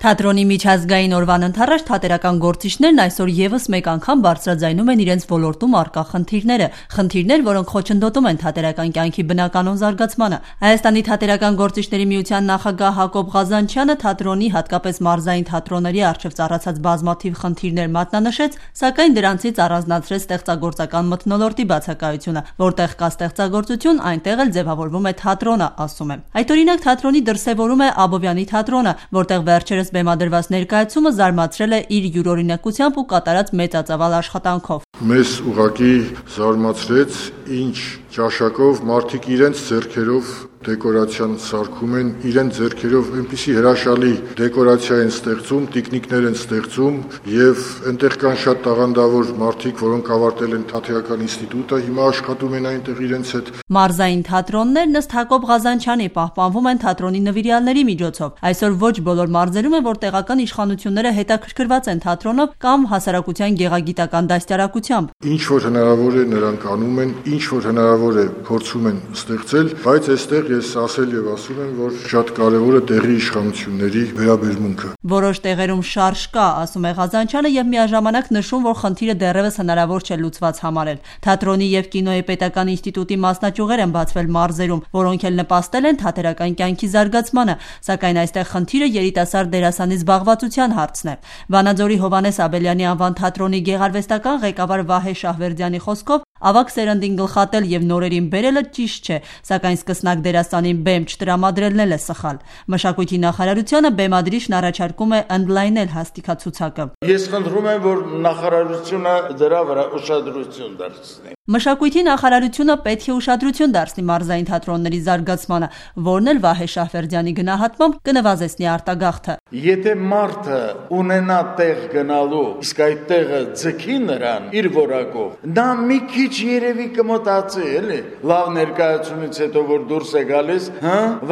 Թատրոնի միջազգային օրվան ընդառաջ թատերական գործիչներն այսօր եւս մեկ անգամ բարձրաձայնում են իրենց ոլորտում առկա խնդիրներ, որոնք խոչընդոտում են թատերական կյանքի բնականոն զարգացմանը։ Հայաստանի թատերական գործիչների միության նախագահ Հակոբ Ղազանչյանը թատրոնի, հատկապես մարզային թատրոնների առջև ծառացած բազմաթիվ խնդիրներ մատնանշեց, սակայն դրանցից առանձնացրեց ստեղծագործական մթնոլորտի բացակայությունը, որտեղ կա ստեղծագործություն, այնտեղ էլ ձևավորվում է թատրոնը, ասում է։ Այդ օրինակ թատրոնի դրսևորում է Աբովյանի թատրոնը, որտեղ վերջերս բեմադրված ներկայացումը զարմացրել է իր յուրօրինակությամբ ու կատարած մեծածավալ աշխատանքով։ Մեզ ուղղակի զարմացրեց, ինչ ճաշակով մարդիկ իրենց ձեռքերով դեկորացիան սարքում են, իրենց ձեռքերով այնպիսի հրաշալի դեկորացիա են ստեղծում, տիկնիկներ են ստեղծում եւ այնտեղ կան շատ տաղանդավոր մարդիկ, որոնք ավարտել են թատերական ինստիտուտը, հիմա աշխատում են այնտեղ իրենց հետ։ Մարզային թատրոններն ըստ Հակոբ Ղազանչյանի պահպանվում են թատրոնի նվիրյալների միջոցով։ Այսօր ոչ բոլոր մարզերում է, որ տեղական իշխանությունները հետաքրքրված են թատրոնով կամ հասարակության գեղագիտական դաստիարակությամբ։ Ինչ որ հնարավոր է նրանք անում են, ինչ որ հնարավոր է փորձում են ստեղծել, բայց այստեղ ես ասել եւ ասում եմ, որ շատ կարեւոր է տեղի իշխանությունների վերաբերմունքը։ Որոշ տեղերում շարժ կա, ասում է Ղազանչյանը եւ միաժամանակ նշում, որ խնդիրը դեռևս հնարավոր չէ լուծված համարել։ Թատրոնի եւ կինոյի պետական ինստիտուտի մասնաճյուղեր են բացվել մարզերում, որոնք էլ նպաստել են թատերական կյանքի զարգացմանը, սակայն այստեղ խնդիրը երիտասարդ դերասանի զբաղվածության հարցն է։ Վանաձորի Հովհաննես Աբելյանի անվան թատրոնի գեղարվեստական ղեկավար Վահե Շահվերդյանի խոսքով ավագ սերնդին գլխատել եւ նորերին բերելը ճիշտ չէ, սակայն սկսնակ դերասանին բեմ չտրամադրելն էլ է սխալ։ Մշակույթի նախարարությունը բեմադրիչն առաջարկում է ընդլայնել հաստիքացուցակը։ Ես խնդրում եմ, որ նախարարությունը դրա վրա ուշադրություն դարձնի։ Մշակույթի նախարարությունը պետք է ուշադրություն դարձնի մարզային թատրոնների զարգացմանը, որն էլ Վահե Շահվերդյանի գնահատմամբ կնվազեցնի արտագաղթը։ Եթե մարդը ունենա տեղ գնալու, իսկ այդ տեղը ձգի նրան իր որակով, նա մի քիչ երևի կմտածի, էլի, լավ ներկայացումից հետո որ դուրս է գալիս,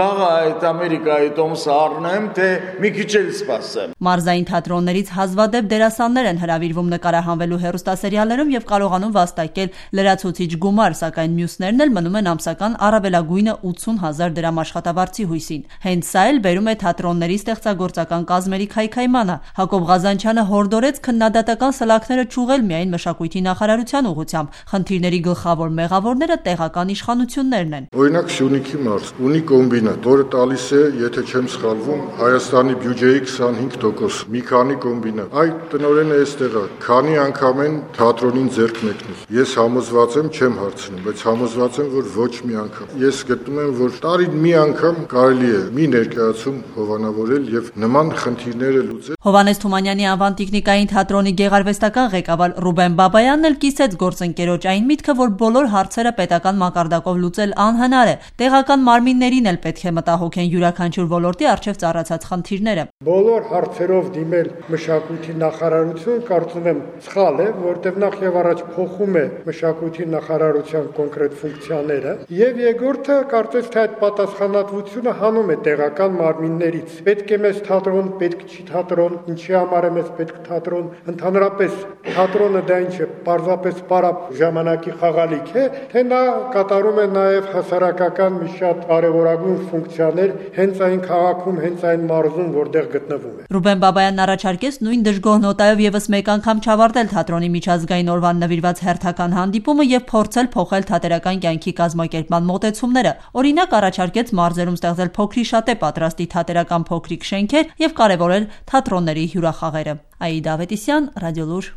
վաղը այդ Ամերիկայի տոմսը առնեմ, թե մի քիչ էլ սպասեմ։ Մարզային թատրոններից հազվադեպ դերասաններ են հրավիրվում նկարահանվելու հեռուստասերիալներում եւ կարողանում վաստակել լրացուցիչ գումար, սակայն մյուսներն էլ մնում են ամսական առավելագույնը 80,000 դրամ աշխատավարձի հույսին։ Հենց սա էլ բերում է թատրոնների ստեղծագործական կազմերի քայքայմանը։ Հակոբ Ղազանչյանը հորդորեց քննադատական սլաքները ճուղել միայն մշակույթի նախարարության ուղղությամբ։ Խնդիրների գլխավոր մեղավորները տեղական իշխանություններն են։ Օրինակ Սյունիքի մարզ ունի կոմբինատ, որը տալիս է, եթե չեմ սխալվում, Հայաստանի բյուջեի 25%, մի քանի կոմբինատ։ Այդ տնօրենը էստեղ է, քանի անգամ են թատրոնին ձեռք մեկնել։ Ես համոզված եմ, չեմ հարցնում, բայց համոզված եմ, որ ոչ մի անգամ։ Ես գտնում եմ, որ տարին մի անգամ կարելի է մի ներկայացում հովանավորել եւ նման խնդիրները լուծել։ Հովհաննես Թումանյանի անվան տիկնիկային թատրոնի գեղարվեստական ղեկավար Ռուբեն Բաբայանն էլ կիսեց գործընկերոջ այն միտքը, որ բոլոր հարցերը պետական մակարդակով լուծել անհնար է։ Տեղական մարմիններին էլ պետք է մտահոգեն յուրաքանչյուր ոլորտի առջև ծառացած խնդիրները։ Բոլոր հարցերով դիմել մշակույթի նախարարություն, կարծում եմ, սխալ է, որտեղ նախ եւ առաջ փոխում է մշակույթի նախարարության կոնկրետ ֆունկցիաները, եւ երկրորդը կարծես թե այդ պատասխանատվությունը հանում է տեղական մարմիններից։ Պետք է մեզ թատրոն, պետք չի թատրոն, ինչի համար է մեզ պետք թատրոն, ընդհանրապես թատրոնը դա ինչ է, պարզապես պարապ ժամանակի խաղալիք է, թե նա կատարում է նաեւ հասարակական մի շատ կարեւորագույն ֆունկցիաներ հենց այն քաղաքում, հենց այն մարզում, որտեղ գտնվում է։ Ռուբեն Բաբայանն առաջարկեց նույն դժգոհ նոտայով եւս մեկ անգամ չավարտել թատրոնի միջազգային օրվան նվիրված հերթական հանդիպումը եւ փորձել փոխել թատերական կյանքի կազմակերպման մոտեցումները։ Օրինակ առաջարկեց մարզերում ստեղծել փոքրիշատե պատրաստի թատերական փոքրիկ շենքեր եւ կարեւորել թատրոնների հյուրախաղերը։ Աիդա Ավետիսյան, Ռադիոլուր։